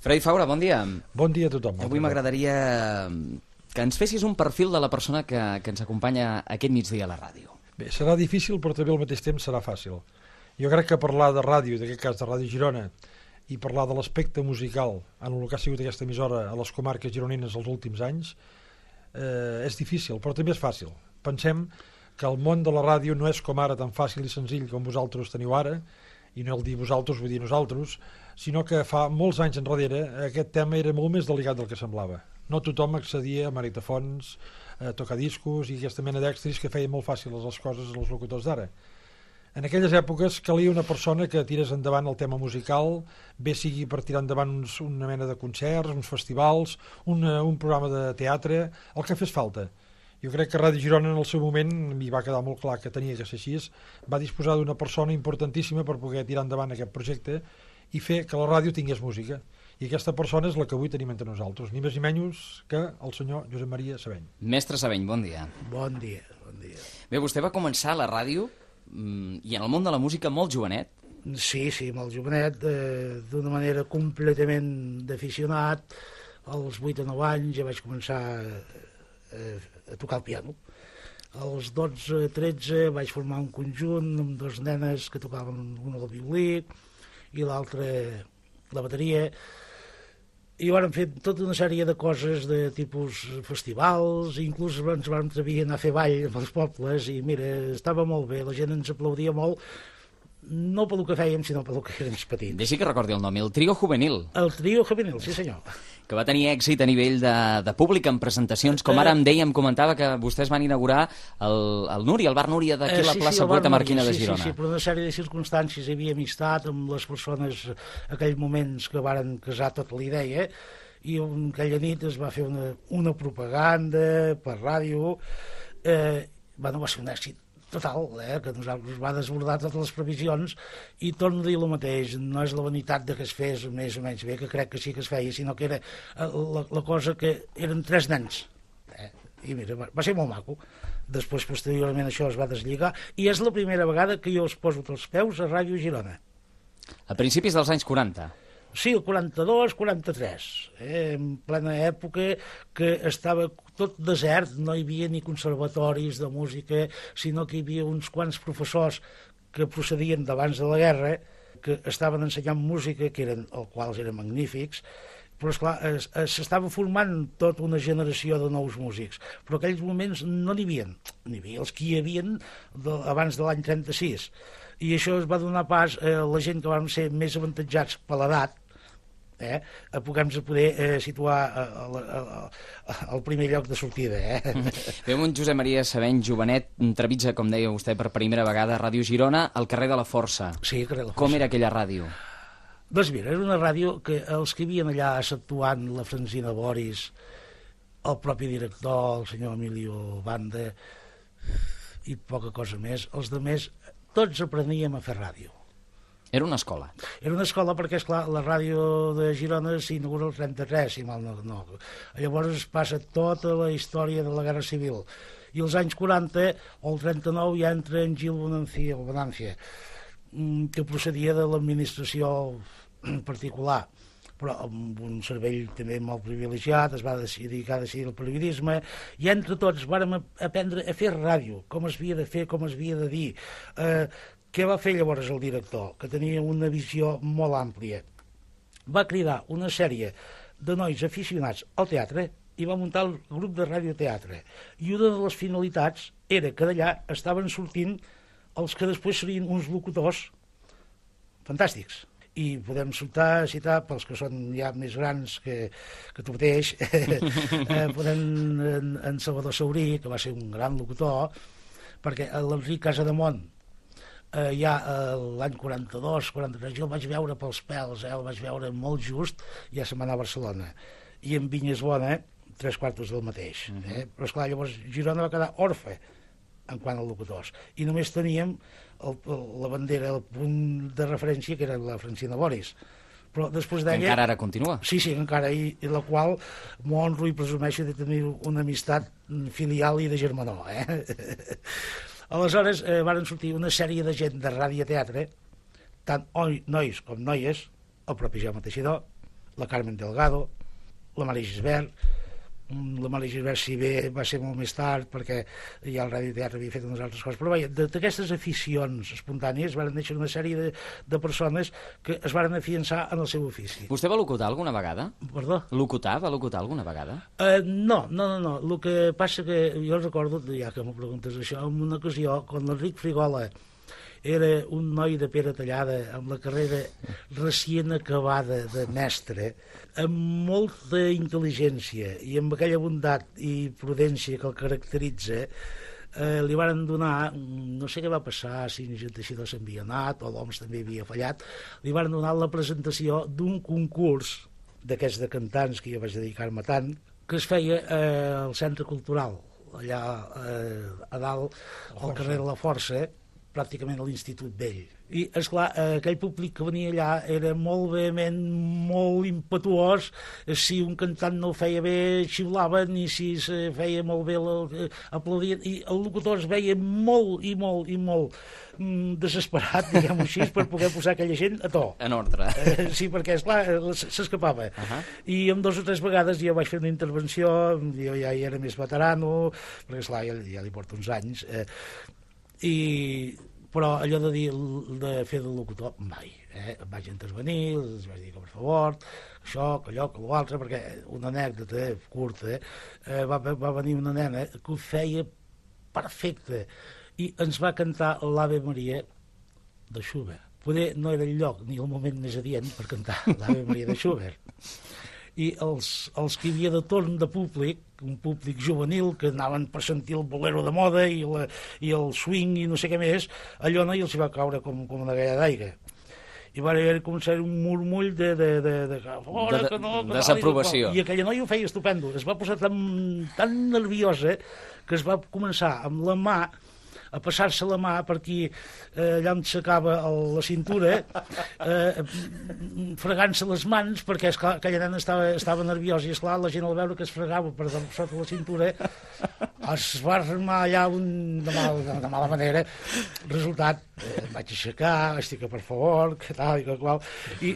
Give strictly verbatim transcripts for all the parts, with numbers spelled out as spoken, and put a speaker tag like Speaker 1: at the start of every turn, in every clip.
Speaker 1: Freddy Faura, bon dia.
Speaker 2: Bon dia a tothom.
Speaker 1: Avui m'agradaria que ens fessis un perfil de la persona que, que ens acompanya aquest migdia a la ràdio.
Speaker 2: Bé, serà difícil, però també al mateix temps serà fàcil. Jo crec que parlar de ràdio, en aquest cas de Ràdio Girona, i parlar de l'aspecte musical en el que ha sigut aquesta emissora a les comarques gironines els últims anys, eh, és difícil, però també és fàcil. Pensem que el món de la ràdio no és com ara tan fàcil i senzill com vosaltres teniu ara, i no el dir vosaltres, vull dir nosaltres, sinó que fa molts anys enrere aquest tema era molt més delicat del que semblava. No tothom accedia a magnetofons, a tocadiscos i aquesta mena d'extris que feien molt fàcils les coses als locutors d'ara. En aquelles èpoques calia una persona que tirés endavant el tema musical, bé sigui per tirar endavant uns, una mena de concerts, uns festivals, una, un programa de teatre, el que fes falta. Jo crec que Ràdio Girona en el seu moment, m'hi va quedar molt clar que tenia que ser així, va disposar d'una persona importantíssima per poder tirar endavant aquest projecte i fer que la ràdio tingués música. I aquesta persona és la que avui tenim entre nosaltres, ni més ni menys que el senyor Josep Maria Sabeny.
Speaker 1: Mestre Sabeny, bon dia.
Speaker 3: Bon dia, bon dia.
Speaker 1: Bé, vostè va començar a la ràdio mm, i en el món de la música molt jovenet.
Speaker 3: Sí, sí, molt jovenet, eh, d'una manera completament d'aficionat. Als vuit o nou anys ja vaig començar eh, a tocar el piano. Als dotze tretze vaig formar un conjunt amb dos nenes que tocaven una el violí i l'altra la bateria, i vàrem fer tota una sèrie de coses de tipus festivals, inclús ens vam atrevir a anar a fer ball amb els pobles, i mira, estava molt bé, la gent ens aplaudia molt, no pel que fèiem, sinó pel que érem petits.
Speaker 1: Deixi que recordi el nom, el Trio Juvenil.
Speaker 3: El Trio Juvenil, sí senyor.
Speaker 1: Que va tenir èxit a nivell de, de públic en presentacions, com ara em deia, em comentava que vostès van inaugurar el, el Núria, el bar Núria d'aquí a la
Speaker 3: eh, sí,
Speaker 1: plaça
Speaker 3: sí,
Speaker 1: Poeta Marquina de
Speaker 3: sí,
Speaker 1: Girona.
Speaker 3: Sí, sí, per una sèrie de circumstàncies hi havia amistat amb les persones aquells moments que varen casar tota la idea, i aquella nit es va fer una, una propaganda per ràdio, eh, bueno, va ser un èxit total, eh, que nosaltres va desbordar totes les previsions, i torno a dir el mateix, no és la vanitat de que es fes més o menys bé, que crec que sí que es feia, sinó que era la, la cosa que eren tres nens, eh, i mira, va, va ser molt maco. Després, posteriorment, això es va deslligar, i és la primera vegada que jo es poso els peus a Ràdio Girona.
Speaker 1: A principis dels anys quaranta.
Speaker 3: Sí, el quaranta-dos, quaranta-tres, eh, en plena època que estava tot desert, no hi havia ni conservatoris de música, sinó que hi havia uns quants professors que procedien d'abans de la guerra, que estaven ensenyant música, que eren, els quals eren magnífics, però esclar, s'estava formant tota una generació de nous músics, però en aquells moments no n'hi havia, n'hi havia els que hi havia de, abans de l'any trenta-sis, i això es va donar pas a la gent que vam ser més avantatjats per l'edat, eh, a poder-nos poder eh, situar al primer lloc de sortida. Eh?
Speaker 1: Veu un Josep Maria Sabeny jovenet, trepitja, com deia vostè, per primera vegada a Ràdio Girona, al carrer de la Força.
Speaker 3: Sí, carrer de la Força.
Speaker 1: Com era aquella ràdio?
Speaker 3: Doncs mira, era una ràdio que els que hi havien allà exceptuant la Francina Boris, el propi director, el senyor Emilio Banda, i poca cosa més, els altres, tots apreníem a fer ràdio.
Speaker 1: Era una escola.
Speaker 3: Era una escola perquè, esclar, la ràdio de Girona s'inaugura el trenta-tres, si mal no, no. Llavors es passa tota la història de la Guerra Civil. I als anys quaranta, o el trenta-nou, ja entra en Gil Bonancia, o Bonancia, que procedia de l'administració particular, però amb un cervell també molt privilegiat, es va dedicar a decidir el periodisme, i entre tots vàrem aprendre a fer ràdio, com es havia de fer, com es havia de dir. Eh, Què va fer llavors el director, que tenia una visió molt àmplia? Va cridar una sèrie de nois aficionats al teatre i va muntar el grup de radioteatre. I una de les finalitats era que d'allà estaven sortint els que després serien uns locutors fantàstics. I podem citar, citar pels que són ja més grans que, que tu mateix, eh, podem en, en Salvador Saurí, que va ser un gran locutor, perquè l'Enric Casademont, eh, ja eh, l'any quaranta-dos, quaranta-tres, jo el vaig veure pels pèls, eh, el vaig veure molt just, ja se'n va anar a Barcelona. I en Vinyes Bona, tres quartos del mateix. Uh -huh. eh? Però esclar, llavors Girona va quedar orfe en quant a locutors. I només teníem el, la bandera, el punt de referència, que era la Francina Boris. Però després d'ella...
Speaker 1: Encara ara continua.
Speaker 3: Sí, sí, encara, i, i la qual m'honro i presumeixo de tenir una amistat filial i de germanor, eh? Aleshores, eh, varen sortir una sèrie de gent de radioteatre, tant oi, nois com noies, el propi Jaume Teixidor, la Carmen Delgado, la Maria Gisbert. La Maria Gisbert, si bé va ser molt més tard, perquè ja el radioteatre havia fet unes altres coses, però vaja, d'aquestes aficions espontànies van néixer una sèrie de, de persones que es van afiançar en el seu ofici.
Speaker 1: Vostè va locutar alguna vegada?
Speaker 3: Perdó?
Speaker 1: Locutar? Va locutar alguna vegada?
Speaker 3: Uh, no, no, no, no. El que passa que jo recordo, ja que m'ho preguntes això, en una ocasió, quan l'Enric Frigola era un noi de pera tallada, amb la carrera recient acabada de mestre, amb molta intel·ligència i amb aquella bondat i prudència que el caracteritza, eh, li varen donar, no sé què va passar, si ni Teixidor s'havia anat o l'Oms també havia fallat, li varen donar la presentació d'un concurs d'aquests de cantants que jo vaig dedicar-me tant, que es feia eh, al Centre Cultural, allà eh, a dalt, al carrer de la Força, pràcticament a l'Institut Vell. I, esclar, aquell públic que venia allà era molt vehement, molt impetuós. Si un cantant no ho feia bé, xiulaven, i si se feia molt bé, aplaudien. I el locutor es veia molt i molt i molt mm, desesperat, diguem-ho així, per poder posar aquella gent a to.
Speaker 1: En ordre.
Speaker 3: Eh, sí, perquè, esclar, s'escapava. Uh -huh. I amb dos o tres vegades jo vaig fer una intervenció, jo ja hi era més veterano, perquè, esclar, ja, ja li porto uns anys, eh, i però allò de dir de fer de locutor mai, eh? Em vaig intervenir, els vaig dir que per favor això, que allò, que l'altre, perquè una anècdota curta, eh? va, va venir una nena que ho feia perfecte i ens va cantar l'Ave Maria de Schubert. Poder no era el lloc ni el moment més adient per cantar l'Ave Maria de Schubert, i els, els que hi havia de torn de públic, un públic juvenil que anaven per sentir el bolero de moda i, la, i el swing i no sé què més, allò no, i els hi va caure com, com una galla d'aigua. I va haver començar un murmull de, de, de, de, fora,
Speaker 1: de,
Speaker 3: que no, que
Speaker 1: desaprovació.
Speaker 3: I aquella noia ho feia estupendo. Es va posar tan, tan nerviosa que es va començar amb la mà a passar-se la mà per aquí, eh, allà on s'acaba la cintura, eh, fregant-se les mans, perquè esclar, aquella nena estava, estava nerviosa, i esclar, la gent al veure que es fregava per sota la cintura es va armar allà un, de, mal, de, de mala manera. Resultat, eh, em vaig aixecar, vaig dir que per favor, que tal i que qual, i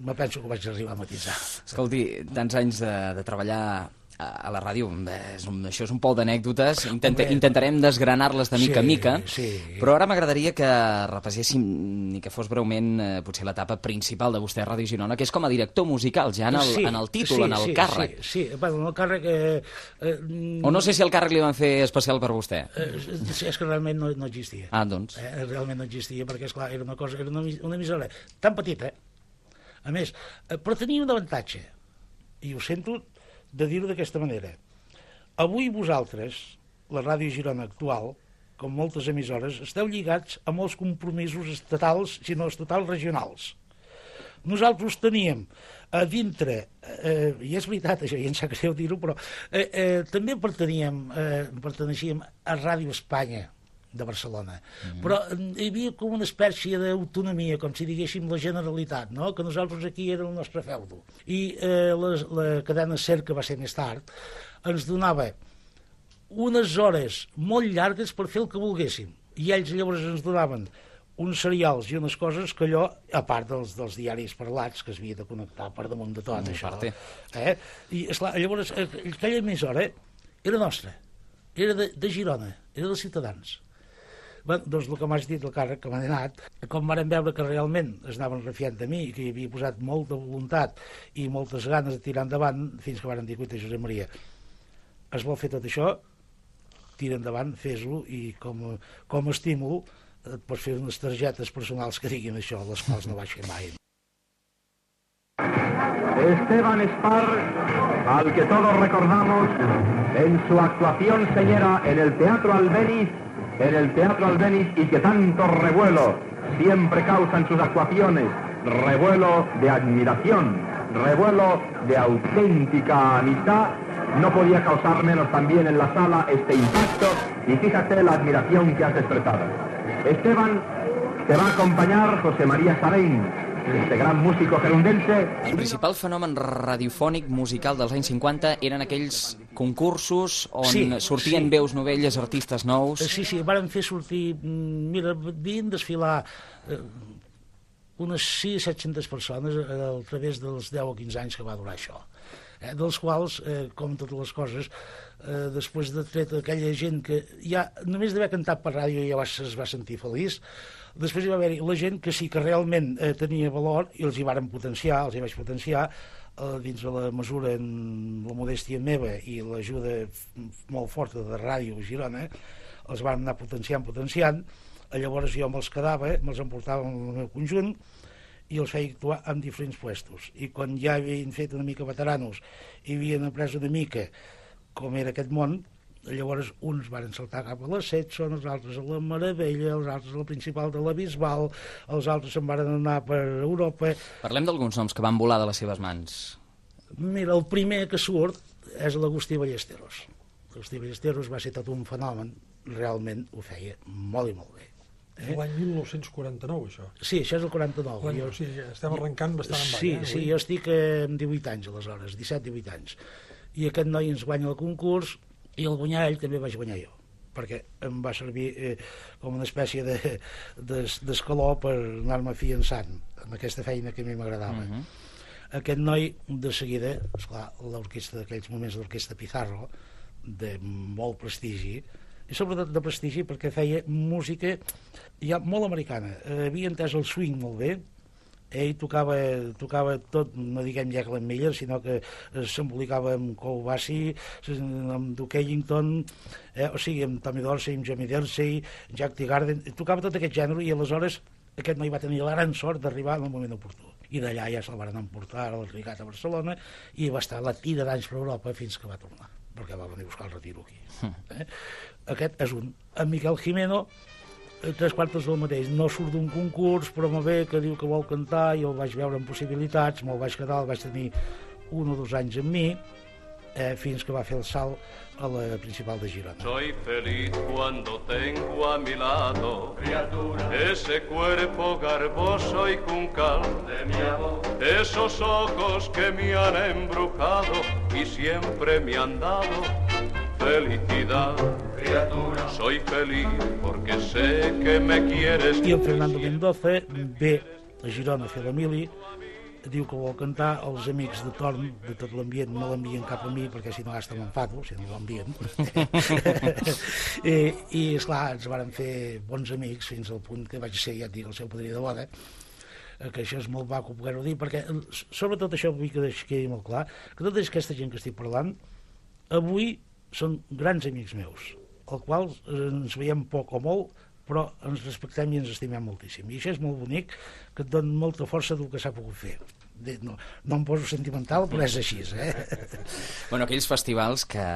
Speaker 3: me penso que vaig arribar a matisar.
Speaker 1: Escolti, tants anys de, de treballar a la ràdio, és un, això és un pol d'anècdotes, Intenta, intentarem desgranar-les de mica
Speaker 3: sí,
Speaker 1: a mica,
Speaker 3: sí.
Speaker 1: Però ara m'agradaria que repasséssim, ni que fos breument, eh, potser l'etapa principal de vostè a Ràdio Girona, que és com a director musical, ja en el,
Speaker 3: sí,
Speaker 1: en el títol,
Speaker 3: sí,
Speaker 1: en el
Speaker 3: sí,
Speaker 1: càrrec.
Speaker 3: Sí, sí, bueno, en el càrrec... Eh, eh,
Speaker 1: o no sé si el càrrec li van fer especial per vostè.
Speaker 3: Eh, és que realment no, no existia.
Speaker 1: Ah, doncs.
Speaker 3: Eh, realment no existia, perquè, esclar, era una cosa, era una, una emissora tan petita, a més, eh, però tenia un avantatge, i ho sento de dir-ho d'aquesta manera. Avui vosaltres, la Ràdio Girona actual, com moltes emissores, esteu lligats a molts compromisos estatals, si no estatals, regionals. Nosaltres teníem a dintre, eh, i és veritat això, i em sap greu dir-ho, però eh, eh, també perteníem, eh, perteneixíem a Ràdio Espanya de Barcelona, mm-hmm. però hi havia com una espècie d'autonomia, com si diguéssim la Generalitat, no? Que nosaltres aquí era el nostre feudo. I eh, la, la cadena SER, que va ser més tard, ens donava unes hores molt llargues per fer el que volguéssim, i ells llavors ens donaven uns serials i unes coses que allò, a part dels, dels diaris parlats, que es havia de connectar per damunt de tot, mm, això. Eh? I, esclar, llavors, aquella emissora era nostra, era de, de Girona, era dels ciutadans. Bé, doncs el que m'has dit, el càrrec que m'ha donat, com varen veure que realment es anaven refiant de mi i que hi havia posat molta voluntat i moltes ganes de tirar endavant, fins que varen dir, cuita, Josep Maria, es vol fer tot això, tira endavant, fes-ho, i com, com a estímul et pots fer unes targetes personals que diguin això, les quals no vaig fer mai.
Speaker 4: Esteban Spar, al que todos recordamos en su actuación señera en el Teatro Albéniz, en el Teatro Albéniz, y que tanto revuelo siempre causan sus actuaciones, revuelo de admiración, revuelo de auténtica amistad, no podía causar menos también en la sala este impacto, y fíjate la admiración que has expresado. Esteban, te va a acompañar José María Sarain, este gran músico gerundense.
Speaker 1: El principal fenomen radiofònic musical dels anys cinquanta eren aquells concursos on
Speaker 3: sí,
Speaker 1: sortien
Speaker 3: sí.
Speaker 1: veus novelles, artistes nous.
Speaker 3: Sí, sí, varen fer sortir, mira, vien desfilar eh, unes sis a set-centes persones a través dels deu o quinze anys que va durar això. Eh, dels quals, eh, com totes les coses, eh, després de tret aquella gent que ja només d'haver cantat per ràdio ja va, es va sentir feliç, després hi va haver la gent que sí que realment eh, tenia valor i els hi varen potenciar, els hi vaig potenciar eh, dins de la mesura en la modèstia meva i l'ajuda molt forta de Ràdio Girona, els van anar potenciant, potenciant, llavors jo me'ls quedava, me'ls emportava en el meu conjunt i els feia actuar en diferents puestos. I quan ja havien fet una mica veteranos i havien après una mica com era aquest món, llavors uns van saltar cap a la Setson, els altres a la Meravella, els altres a la Principal de la Bisbal, els altres se'n van anar per Europa.
Speaker 1: Parlem d'alguns noms que van volar de les seves mans.
Speaker 3: Mira, el primer que surt és l'Agustí Ballesteros. L'Agustí Ballesteros va ser tot un fenomen, realment ho feia molt i molt bé.
Speaker 2: Eh? L'any mil nou-cents quaranta-nou, això.
Speaker 3: Sí, això és el quaranta-nou.
Speaker 2: Jo, o sigui, estem arrencant bastant en ball.
Speaker 3: Sí,
Speaker 2: eh,
Speaker 3: sí, jo estic amb divuit anys, aleshores, disset divuit anys. I aquest noi ens guanya el concurs, i el guanyar ell també vaig guanyar jo, perquè em va servir eh, com una espècie de, de, d'escaló per anar-me fiançant en aquesta feina que a mi m'agradava. Uh-huh. Aquest noi, de seguida, esclar, l'orquestra d'aquells moments, l'orquestra Pizarro, de molt prestigi, i sobretot de prestigi perquè feia música ja molt americana. Eh, havia entès el swing molt bé, ell tocava, tocava tot, no diguem ja Glenn Miller, sinó que s'embolicava amb Cole Bassey, amb Duke Ellington, eh, o sigui, amb Tommy Dorsey, amb Jamie Dorsey, Jack Teagarden, tocava tot aquest gènere, i aleshores aquest noi va tenir la gran sort d'arribar en el moment oportú. I d'allà ja se'l van emportar al Rigat a Barcelona i va estar la tira d'anys per Europa fins que va tornar, perquè va venir a buscar el retiro aquí. Eh? Aquest és un. En Miquel Jimeno, tres quartos del mateix, no surt d'un concurs, però molt bé, que diu que vol cantar, i el vaig veure en possibilitats, me'l vaig quedar, el vaig tenir un o dos anys amb mi, eh, fins que va fer el salt a la Principal de Girona.
Speaker 5: Soy feliz cuando tengo a mi lado, criatura, ese cuerpo garboso y juncal de mi amor, esos ojos que me han embrujado y siempre me han dado felicidad. Criatura, soy feliz porque sé que me quieres.
Speaker 3: I en Fernando Mendoza ve a Girona a fer la mili, diu que vol cantar, els amics de torn de tot l'ambient no l'envien cap a mi perquè si no hasta m'enfado, si no l'envien. I, i esclar, ens varen fer bons amics fins al punt que vaig ser, ja et dic, el seu padrí de boda, que això és molt maco poder-ho dir, perquè sobretot això vull que quedi molt clar, que tota aquesta gent que estic parlant avui són grans amics meus, els quals ens veiem poc o molt, però ens respectem i ens estimem moltíssim. I això és molt bonic, que et dona molta força del que s'ha pogut fer. No, no em poso sentimental, però és així, eh?
Speaker 1: Bueno, aquells festivals que...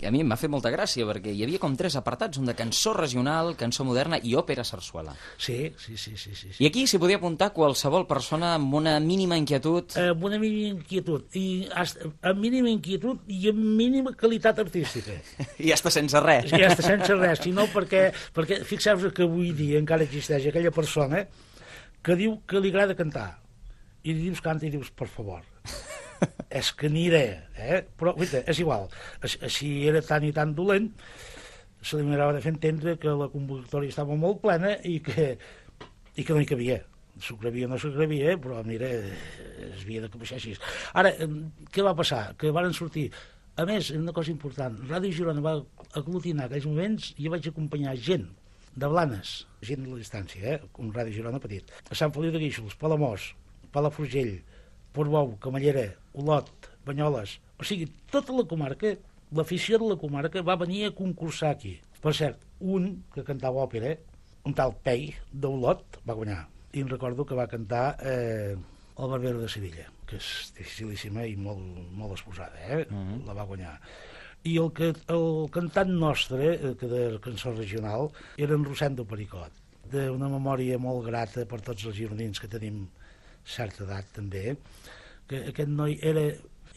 Speaker 1: a mi em va fer molta gràcia, perquè hi havia com tres apartats, un de cançó regional, cançó moderna i òpera sarsuela.
Speaker 3: Sí, sí, sí, sí, sí.
Speaker 1: I aquí s'hi podia apuntar qualsevol persona amb una mínima inquietud.
Speaker 3: Eh, amb una mínima inquietud, i amb mínima inquietud i amb mínima qualitat artística.
Speaker 1: I ja està sense res.
Speaker 3: I ja està sense res, sinó perquè, perquè fixeu-vos que avui dia encara existeix aquella persona que diu que li agrada cantar, i dius canta i dius, per favor, és que ni idea, eh? Però, guaita, és igual, si era tan i tan dolent, se li m'agrada de fer entendre que la convocatòria estava molt plena i que, i que no hi cabia. S'ho gravia o no s'ho gravia, però mira, es havia de baixar així. Ara, què va passar? Que varen sortir... A més, una cosa important, Ràdio Girona va aglutinar aquells moments i vaig acompanyar gent de Blanes, gent de la distància, eh? Un Ràdio Girona petit. A Sant Feliu de Guíxols, Palamós, Palafrugell, Portbou, Camallera, Olot, Banyoles, o sigui, tota la comarca, l'afició de la comarca va venir a concursar aquí. Per cert, un que cantava òpera, un tal Pei d'Olot, va guanyar. I em recordo que va cantar eh, El Barbero de Sevilla, que és dificilíssima i molt, molt exposada, eh? Uh-huh. La va guanyar. I el, que, el cantant nostre, que de cançó regional, era en Rosendo Pericot, d'una memòria molt grata per tots els gironins que tenim certa edat també, que aquest noi era,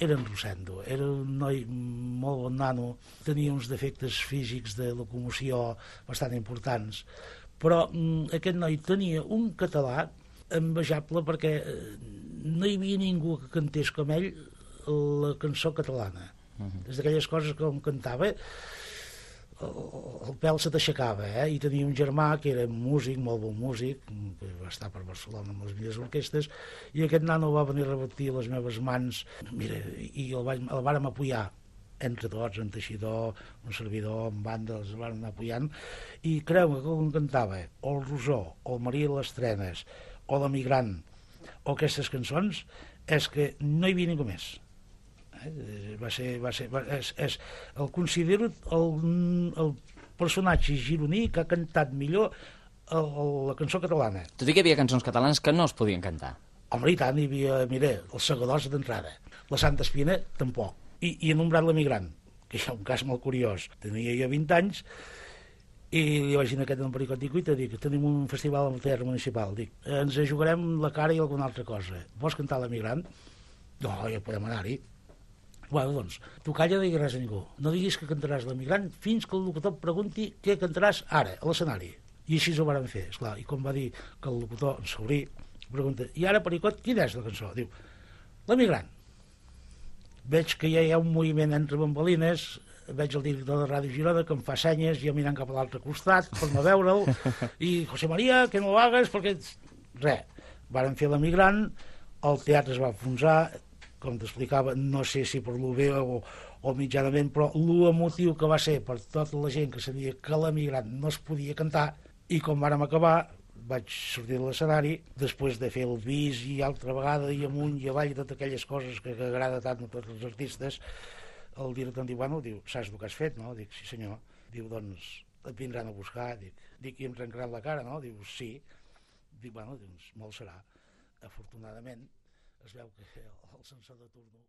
Speaker 3: era en Rosendo, era un noi molt bon nano, tenia uns defectes físics de locomoció bastant importants, però mm, aquest noi tenia un català envejable perquè no hi havia ningú que cantés com ell la cançó catalana. Uh-huh. És d'aquelles coses que com cantava, el, el pèl se t'aixecava, eh? I tenia un germà que era músic, molt bon músic, que va estar per Barcelona amb les millors orquestes, i aquest nano va venir a repetir les meves mans, mira, i el, vaig, el vàrem apoyar entre tots, en teixidor, un servidor, en banda, els van anar apoyant, i creu-me que quan cantava o el Rosó, o el Maria les Trenes, o l'Emigrant, o aquestes cançons, és que no hi havia ningú més. Eh? Va ser, va ser, va, és, és, el considero el, el personatge gironí que ha cantat millor el, el, la cançó catalana.
Speaker 1: Tot i que hi havia cançons catalanes que no es podien cantar.
Speaker 3: Home, i tant, hi havia, mira, els Segadors d'entrada, la Santa Espina tampoc, i, i he nombrat l'Emigrant, que és un cas molt curiós. Tenia jo vint anys i li vaig dir a aquest en Pericot, dic, uita, dic, tenim un festival al Teatre Municipal, dic, ens jugarem la cara i alguna altra cosa. Vols cantar l'Emigrant? No, ja podem anar-hi. Bueno, doncs, tu calla, no diguis res a ningú. No diguis que cantaràs l'Emigrant fins que el locutor et pregunti què cantaràs ara, a l'escenari. I així ho vàrem fer, esclar. I com va dir que el locutor ens s'obrí, pregunta, i ara, Pericot, quina és la cançó? Diu, l'Emigrant. Veig que ja hi ha un moviment entre bambolines, veig el director de Ràdio Girona que em fa senyes, jo mirant cap a l'altre costat per no veure'l, i José María, que no ho hagues, perquè... Res, vàrem fer l'Emigrant, el teatre es va enfonsar, com t'explicava, no sé si per lo bé o, o mitjanament, però l'emotiu que va ser per tota la gent que sabia que l'Emigrant no es podia cantar, i com vàrem acabar, vaig sortir de l'escenari, després de fer el bis i altra vegada, i amunt i avall, i totes aquelles coses que, que agrada tant a tots els artistes, el director em diu, bueno, diu, saps el que has fet, no? Dic, sí senyor. Diu, doncs, et vindran a buscar. Dic, dic i em trencaran la cara, no? Diu, sí. Dic, bueno, doncs, molt serà. Afortunadament, es veu que el censor de turno